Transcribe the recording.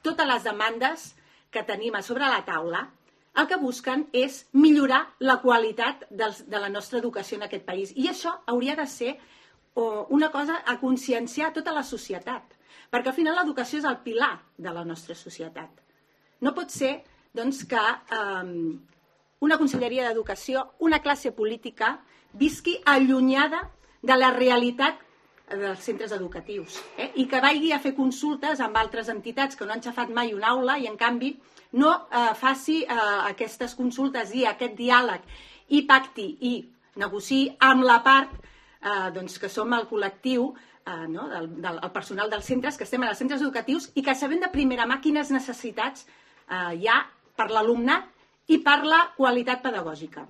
totes les demandes que tenim a sobre la taula el que busquen és millorar la qualitat de la nostra educació en aquest país. I això hauria de ser una cosa a conscienciar tota la societat, perquè al final l'educació és el pilar de la nostra societat. No pot ser doncs, que una conselleria d'educació, una classe política, visqui allunyada de la realitat dels centres educatius i que vagi a fer consultes amb altres entitats que no han xafat mai una aula i, en canvi, no faci aquestes consultes i aquest diàleg i pacti i negociï amb la part que som el col·lectiu, el personal dels centres, que estem als centres educatius i que sabem de primera mà quines necessitats hi ha per l'alumnat i per la qualitat pedagògica.